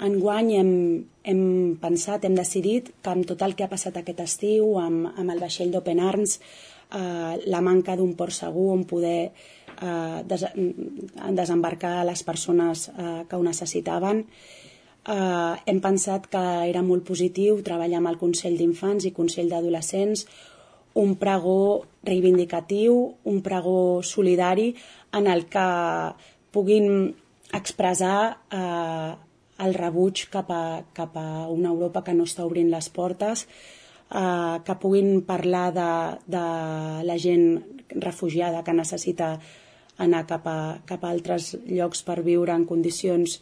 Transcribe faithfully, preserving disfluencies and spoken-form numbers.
enguany hem, hem pensat, hem decidit que amb tot el que ha passat aquest estiu, amb, amb el vaixell d'Open Arms, eh, la manca d'un port segur on poder eh, des, desembarcar les persones eh, que ho necessitaven, eh, hem pensat que era molt positiu treballar amb el Consell d'Infants i Consell d'Adolescents, un pregó reivindicatiu, un pregó solidari en el que puguin expressar eh, el rebuig cap a, cap a una Europa que no està obrint les portes, eh, que puguin parlar de, de la gent refugiada que necessita anar cap a, cap a altres llocs per viure en condicions